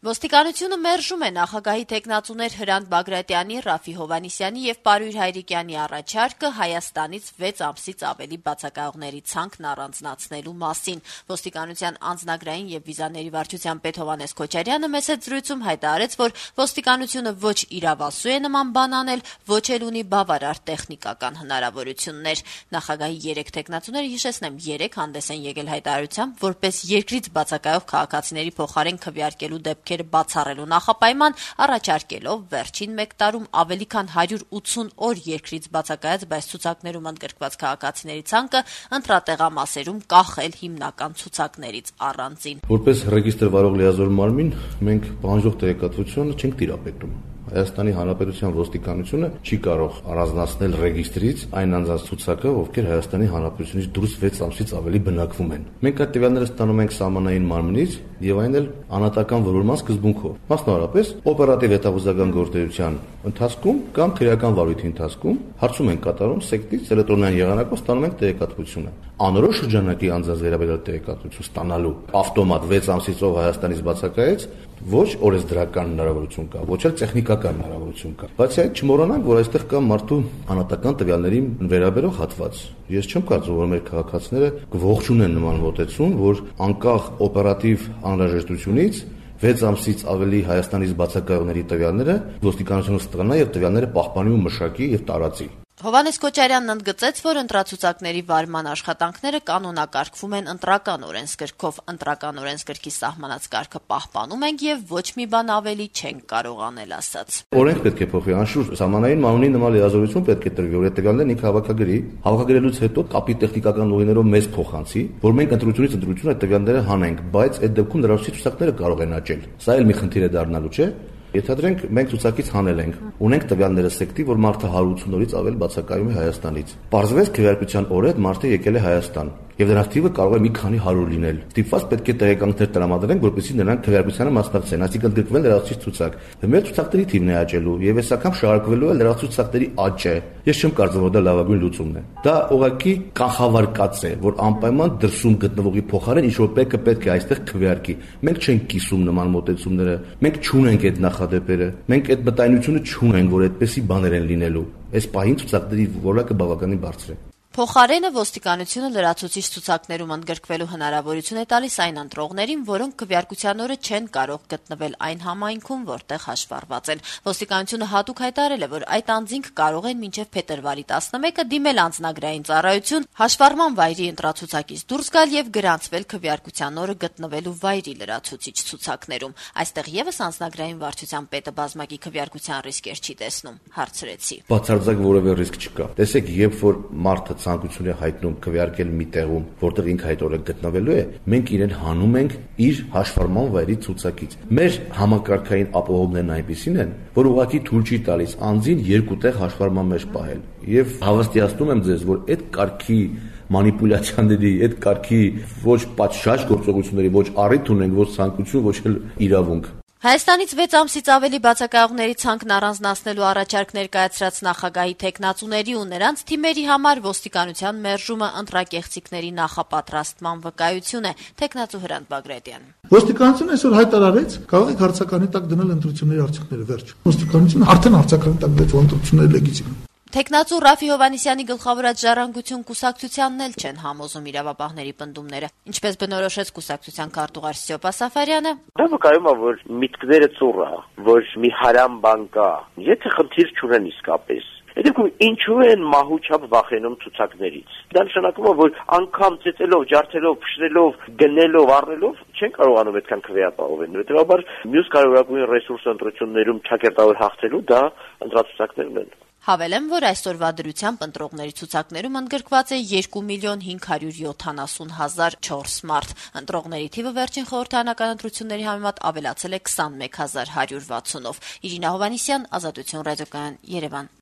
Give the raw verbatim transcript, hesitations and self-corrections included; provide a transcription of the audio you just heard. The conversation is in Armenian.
Ոստիկանությունը մերժում է նախագահի թեկնածուներ Հրանտ Բագրատյանի, Ռաֆի Հովհաննիսյանի եւ Պարույր Հայրիկյանի առաջարկը Հայաստանից վեց ամսից ավելի բացակայողների ցանկն առանձնացնելու մասին։ Ոստիկանության անձնագրային եւ վիզաների վարչության պետ Հովհաննես Քոչարյանը մեծ զրույցում հայտարարեց, որ ոստիկանությունը ոչ իրավասու է նման բան անել, ոչ էլ ունի բավարար տեխնիկական հնարավորություններ։ Նախագահի երեք թեկնածուները, հիշեցնեմ, երեք հանդես են եկել հայտարարությամբ, որպես երկրից բացակայող քաղաքացիների փոխարեն քվեարկելու դեպք բացառելու նախապայման, առաջարկելով վերջին մեկ տարում ավելի քան հարյուր ութսուն օր երկրից բացակայած, բայց ցուցակներում ընդգրկված քաղաքացիների ցանկը ընտրատեղամասերում կախել հիմնական ցուցակներից առանձին։ Որպես ռեգիստրը վարող լիազոր մարմին, մենք պահանջող տեղեկատվությունը չենք տիրապետում։ Հայաստանի Հանրապետության ոստիկանությունը չի կարող առանձնացնել ռեգիստրից այն անձանց ցուցակը, ովքեր Հայաստանի Հանրապետությունից դուրս վեց ամսից ավելի բնակվում են։ Մենք այդ տվյալները ստանում ենք սահմանային մարմնից եւ այն էլ անհատական որոնման սկզբունքով։ Մասնավորապես, օպերատիվ հետախուզական գործողության ընթացքում կամ քրեական վարույթի ընթացքում հարցում ենք կատարում սեկտից էլեկտրոնային եղանակով ստանում ենք տեղեկատվությունը։ Անորոշ շրջանակի անձանց վերաբերյալ տեղեկատվություն ստանալու ավտոմատ վեց ամսից ով Հայաստանից բացակայեց ոչ օրենսդրական հնարավորություն կա, ոչ էլ տեխնիկական հնարավորություն կա։ Բացի այդ, չմոռանանք, որ այստեղ կա մարդու անհատական տվյալների վերաբերող հատված։ Ես չեմ կարծում, որ մեր քաղաքացիները կողջունեն նման մոտեցում, որ անկախ օպերատիվ անհրաժեշտությունից վեց ամսից ավելի Հայաստանից բացակայողների տվյալները ոստիկանությունը ստանա եւ տվյալները պահպանի ու մշակի եւ տարածի։ Հովհաննես Քոչարյանն ընդգծեց, որ ընտրացուցակների վարման աշխատանքները կանոնակարգվում են ընտրական օրենսգրքով, ընտրական օրենսգրքի սահմանած կարգը պահպանում ենք եւ ոչ մի բան ավելի չենք կարող անել, ասաց։ Օրենք պետք է փոխվի, անշուշտ սահմանային մանունի նման լիազորություն պետք է տրվի, որ այդ տվյալներն ինքը հավաքագրի, հավաքագրելուց հետո կապի տեխնիկական ուղիներով մեզ փոխանցի, որ մենք ընտրությունից ընտրություն այդ տվյալները հանենք, բայց այդ դեպքում լրացուցիչ ցուցակները կարող են աճել։ Սա էլ մի խնդիր է դառնալու, չէ՞։ Ենթադրենք մենք ցուցակից հանել ենք, ունենք տվյալները սեկտի, որ մարդը հարյուր ութսուն օրից ավել բացակայում է Հայաստանից։ Պարզվեց քվեարկության օրը այդ մարդը եկել է Հայաստան, եւ դրանց թիվը կարող է մի քանի հարյուր լինել։ Ստիպված պետք է տեղեկանքներ տրամադրենք, որպեսզի նրանք քվեարկությանը մասնակցեն, այսինքն ընդգրկվեն լրացուցիչ ցուցակ։ Մեր ցուցակների թիվն է աճելու եւ այս անգամ շարունակվելու է լրացուցիչ ցուցակների աճը։ Ես չեմ կարծում, որ դա լավագույն լուծումն է։ Դա ուղղակի կանխավարկած է, որ անպայման դրսում գտնվողի փոխարեն ինչ-որ մեկը պետք է այստեղ քվեարկի։ Մենք չենք կիսում նման մոտեցումները, մենք չունենք այդ նախադեպերը, մենք այդ մտայնությունը չունենք, որ այդպեսի բաներ են լինելու։ Այս պահին ցուցակների որակը բավականին բարձր է։ Փոխարենը ոստիկանությունը լրացուցիչ ցուցակներում ընդգրկվելու հնարավորություն է տալիս այն ընտրողներին, որոնք քվեարկության օրը չեն կարող գտնվել այն համայնքում, որտեղ հաշվառված են։ Ոստիկանությունը հատուկ հայտարարել է, որ այդ անձինք կարող են մինչև փետրվարի տասնմեկը դիմել անձնագրային ծառայություն, հաշվառման վայրի ընտրացուցակից դուրս գալ եւ գրանցվել քվեարկության օրը գտնվելու վայրի լրացուցիչ ցուցակներում։ Այստեղ եւս անձնագրային վարչության պետը բազմակի քվեարկության ռիսկեր չի տեսնում, հարցրեցի։ Բացարձակ որևէ ռիսկ չկա։ Տեսեք, երբ որ մարդը ցանկություն է հայտնում քվեարկել մի տեղում, որտեղ ինքը այդ օրը գտնվելու է, մենք իրեն հանում ենք իր հաշվառման վայրի ցուցակից։ Մեր համակարգային ապահովումներն այնպիսին են, որ ուղղակի թույլ չի տալիս անձին երկու տեղ հաշվառման մեջ պահել։ Եվ հավաստիացնում եմ ձեզ, որ այդ կարգի մանիպուլյացիաների, այդ կարգի ոչ պատշաճ գործողությունների ոչ առիթ ունենք, ոչ ցանկություն, ոչ էլ իրավունք։ Հայաստանից վեց ամսից ավելի բացակայողների ցանկն առանձնացնելու առաջարկ ներկայացրած նախագահի թեկնածուների ու նրանց թիմերի համար ոստիկանության մերժումը ընտրակեղծիքների նախապատրաստման վկայություն է, թեկնածու Հրանտ Բագրատյան։ Ոստիկանությունը այսօր հայտարարեց, կարող եք հարցականի տակ դնել ընտրությունների արդյունքները, վերջ։ Ոստիկանությունը արդեն հարցականի տակ դրեց, որ ընտրությունները լեգիտիմ են։ Թեկնածու Ռաֆի Հովհաննիսյանի գլխավորած ժառանգություն կուսակցությանն էլ չեն համոզում իրավապահների պնդումները, ինչպես բնորոշեց կուսակցության քարտուղար Սյոպա Սաֆարյանը։ Դա վկայում է, որ միտքները ծուռ է, որ մի հարամ բան կա, եթե խնդիր չունեն իսկապես։ Այդ դեպքում ինչու են մահուչապ վախենում ցուցակներից։ Դա նշանակում է, որ անգամ ծեծելով, ջարդելով, փշրելով, գնելով, առնելով չեն կարողանում այդքան քվեապահովել։ Հետևաբար մյուս կարևորագույն ռեսուրսը ընտրություններում ճակերտավոր հաղթելու դա ընտրացուցակներն են։ Հավելեմ, որ այսօրվա դրությամբ ընտրողների ցուցակներում ընդգրկված է երկու միլիոն հինգ հարյուր յոթանասուն հազար չորս մարդ։ Ընտրողների թիվը վերջին խորհրդարանական ընտրությունների համեմատ ավելացել է քսանմեկ հազար հարյուր վաթսունով։ Իրինա Հովհաննիսյան, Ազատություն ռադիոկայան, Երևան։